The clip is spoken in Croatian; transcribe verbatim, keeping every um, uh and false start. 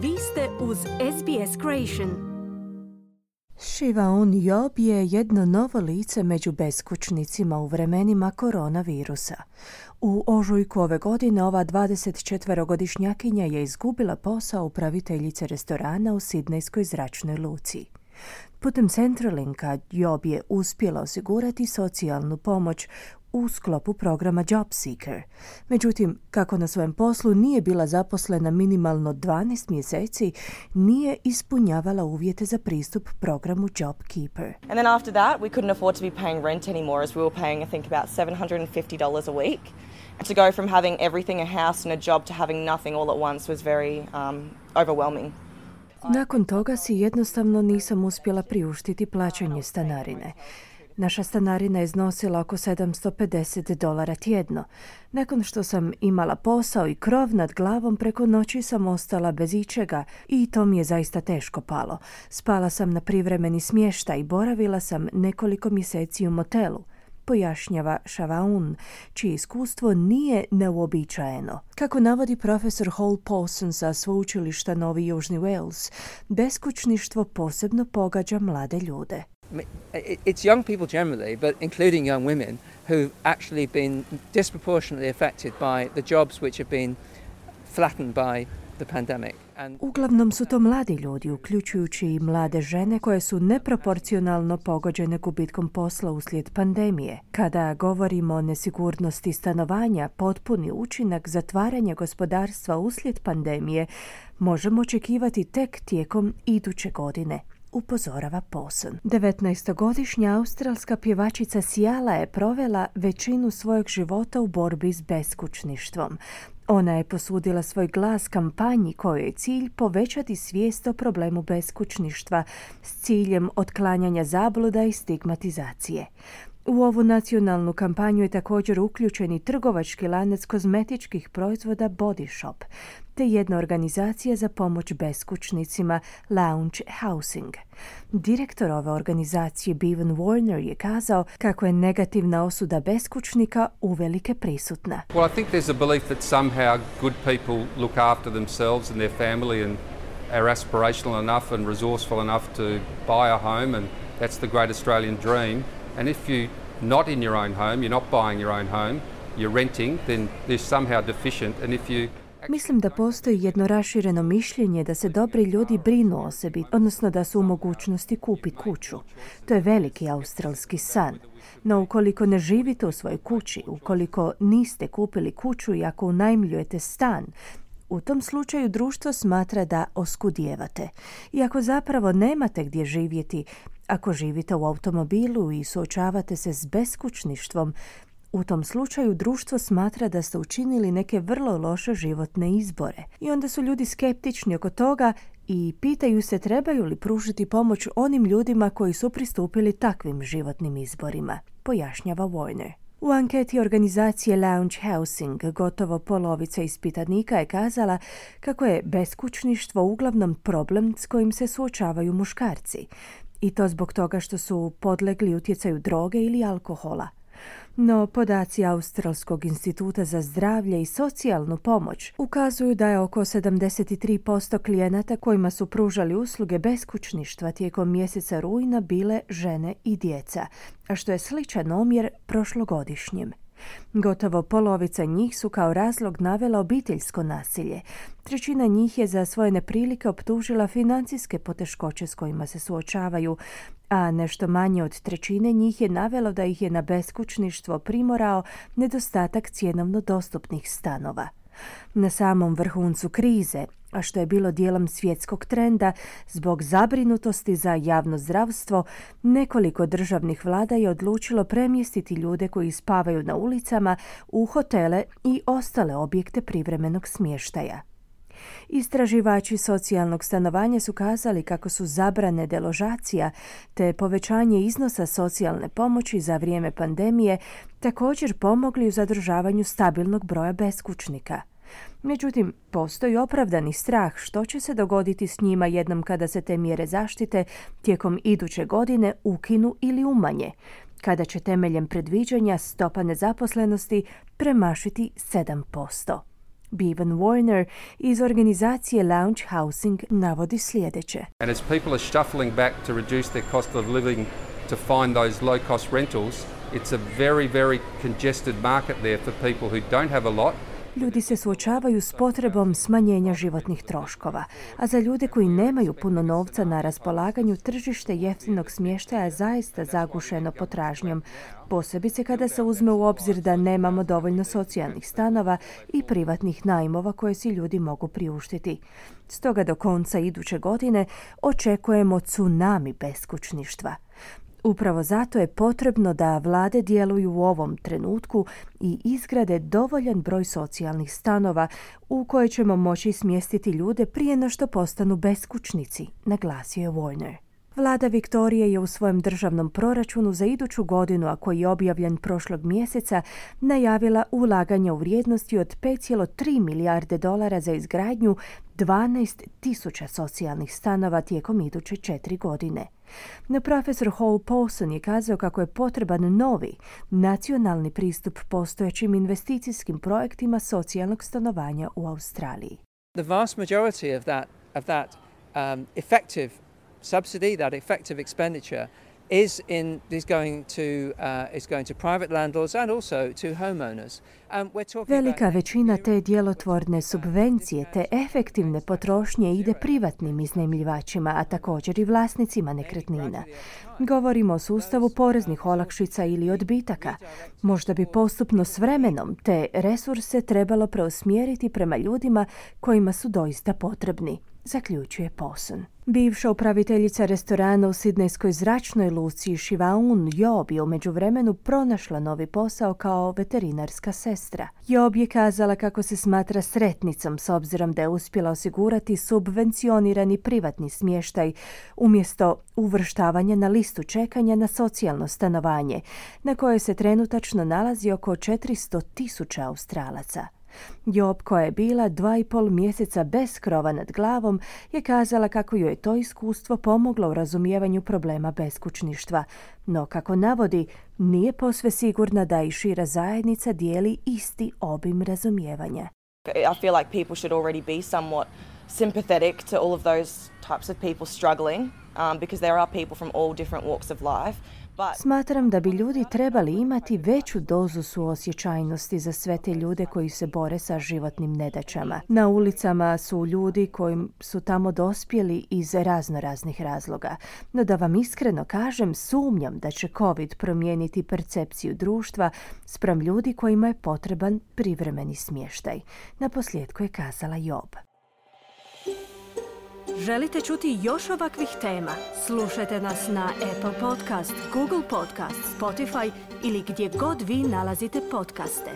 Vi ste uz S B S Creation. Shivaun Job je jedno novo lice među beskućnicima u vremenima koronavirusa. U ožujku ove godine ova dvadesetčetverogodišnjakinja je izgubila posao upraviteljice restorana u sidnejskoj zračnoj luci. Putem Centralinka Job je uspjela osigurati socijalnu pomoć u sklopu programa Job Seeker. Međutim, kako na svojem poslu nije bila zaposlena minimalno dvanaest mjeseci, nije ispunjavala uvjete za pristup programu Job Keeper. And then after that, we couldn't afford to be paying rent anymore, as we were paying, I think, about seven hundred fifty dollars a week. To go from having everything, a house and a job, to having nothing all at once was very um, overwhelming. Nakon toga si jednostavno nisam uspjela priuštiti plaćanje stanarine. Naša stanarina je iznosila oko sedamsto pedeset dolara tjedno. Nakon što sam imala posao i krov nad glavom, preko noći sam ostala bez ičega i to mi je zaista teško palo. Spala sam na privremeni smještaj i boravila sam nekoliko mjeseci u motelu, pojašnjava Shivaun, čije iskustvo nije neuobičajeno. Kako navodi profesor Hall Paulson sa sveučilišta Novi Južni Wales, beskućništvo posebno pogađa mlade ljude. It's young people generally, but including young women, who've actually been disproportionately affected by the jobs which have been flattened by the pandemic. And Uglavnom su to mladi ljudi, uključujući i mlade žene koje su neproporcionalno pogođene gubitkom posla uslijed pandemije. Kada govorimo o nesigurnosti stanovanja, potpuni učinak zatvaranja gospodarstva uslijed pandemije možemo očekivati tek tijekom iduće godine, upozorava Paulson. devetnaestogodišnja australska pjevačica Siala je provela većinu svojeg života u borbi s beskućništvom. Ona je posudila svoj glas kampanji kojoj je cilj povećati svijest o problemu beskućništva s ciljem otklanjanja zabluda i stigmatizacije. U ovu nacionalnu kampanju je također uključen i trgovački lanac kozmetičkih proizvoda Body Shop, te jedna organizacija za pomoć beskućnicima Lounge Housing. Direktor ove organizacije Bevan Warner je kazao kako je negativna osuda beskućnika uvelike prisutna. Well, I think there's a belief that somehow good people look after themselves and their family and are aspirational enough and resourceful enough to buy a home, and that's the great Australian dream. And if you're not in your own home, you're not buying your own home, you're renting, then there's somehow deficient. And if you Mislim da postoji jedno rašireno mišljenje da se dobri ljudi brinu o sebi, odnosno da su u mogućnosti kupiti kuću. To je veliki australski san. No ukoliko ne živite u svojoj kući, ukoliko niste kupili kuću i ako unajmljujete stan, u tom slučaju društvo smatra da oskudijevate. I ako zapravo nemate gdje živjeti, ako živite u automobilu i suočavate se s beskućništvom, u tom slučaju društvo smatra da ste učinili neke vrlo loše životne izbore. I onda su ljudi skeptični oko toga i pitaju se trebaju li pružiti pomoć onim ljudima koji su pristupili takvim životnim izborima, pojašnjava Warner. U anketi organizacije Lounge Housing gotovo polovica ispitanika je kazala kako je beskućništvo uglavnom problem s kojim se suočavaju muškarci. I to zbog toga što su podlegli utjecaju droge ili alkohola. No, podaci Australskog instituta za zdravlje i socijalnu pomoć ukazuju da je oko sedamdeset tri posto klijenata kojima su pružali usluge beskućništva tijekom mjeseca rujna bile žene i djeca, a što je sličan omjer prošlogodišnjem. Gotovo polovica njih su kao razlog navela obiteljsko nasilje. Trećina njih je za svoje neprilike optužila financijske poteškoće s kojima se suočavaju, a nešto manje od trećine njih je navelo da ih je na beskućništvo primorao nedostatak cjenovno dostupnih stanova. Na samom vrhuncu krize, a što je bilo dijelom svjetskog trenda, zbog zabrinutosti za javno zdravstvo, nekoliko državnih vlada je odlučilo premjestiti ljude koji spavaju na ulicama u hotele i ostale objekte privremenog smještaja. Istraživači socijalnog stanovanja su kazali kako su zabrane deložacija te povećanje iznosa socijalne pomoći za vrijeme pandemije također pomogli u zadržavanju stabilnog broja beskućnika. Međutim, postoji opravdani strah što će se dogoditi s njima jednom kada se te mjere zaštite tijekom iduće godine ukinu ili umanje, kada će temeljem predviđanja stopa nezaposlenosti premašiti sedam posto. Bevan Warner iz organizacije Lounge Housing navodi sljedeće. And as people are shuffling back to reduce their cost of living to find those low-cost rentals, it's a very, very congested market there for people who don't have a lot. Ljudi se suočavaju s potrebom smanjenja životnih troškova, a za ljude koji nemaju puno novca na raspolaganju, tržište jeftinog smještaja je zaista zagušeno potražnjom, posebice kada se uzme u obzir da nemamo dovoljno socijalnih stanova i privatnih najmova koje si ljudi mogu priuštiti. Stoga do konca iduće godine očekujemo tsunami beskućništva. Upravo zato je potrebno da vlade djeluju u ovom trenutku i izgrade dovoljan broj socijalnih stanova u koje ćemo moći smjestiti ljude prije no što postanu beskućnici, naglasio je Warner. Vlada Viktorije je u svojem državnom proračunu za iduću godinu, a koji je objavljen prošlog mjeseca, najavila ulaganja u vrijednosti od pet zarez tri milijarde dolara za izgradnju dvanaest tisuća socijalnih stanova tijekom iduće četiri godine. No profesor Hall Paulson je kazao kako je potreban novi, nacionalni pristup postojećim investicijskim projektima socijalnog stanovanja u Australiji. The vast majority of that, of that um, effective subsidy, that effective expenditure, is in is going to uh, is going to private landlords and also to homeowners. Um, we're talking Velika većina te djelotvorne subvencije te efektivne potrošnje ide privatnim iznajmljivačima, a također i vlasnicima nekretnina. Govorimo o sustavu poreznih olakšica ili odbitaka. Možda bi postupno s vremenom te resurse trebalo preusmjeriti prema ljudima kojima su doista potrebni, zaključuje Paulson. Bivša upraviteljica restorana u sidnejskoj zračnoj luci Shivaun Job je u međuvremenu pronašla novi posao kao veterinarska sestra. Job je kazala kako se smatra sretnicom s obzirom da je uspjela osigurati subvencionirani privatni smještaj umjesto uvrštavanja na listu čekanja na socijalno stanovanje, na kojoj se trenutačno nalazi oko četiristo tisuća Australaca. Job, koja je bila dva i pol mjeseca bez krova nad glavom, je kazala kako joj je to iskustvo pomoglo u razumijevanju problema beskućništva. No, kako navodi, nije posve sigurna da i šira zajednica dijeli isti obim razumijevanja. I feel like people should already be somewhat sympathetic to all of those types of people struggling, um, because there are people from all different walks of life. Smatram da bi ljudi trebali imati veću dozu suosjećajnosti za sve te ljude koji se bore sa životnim nedaćama. Na ulicama su ljudi koji su tamo dospjeli iz razno raznih razloga. No da vam iskreno kažem, sumnjam da će COVID promijeniti percepciju društva spram ljudi kojima je potreban privremeni smještaj. Naposljetku je kazala Job. Želite čuti još ovakvih tema? Slušajte nas na Apple Podcast, Google Podcast, Spotify ili gdje god vi nalazite podcaste.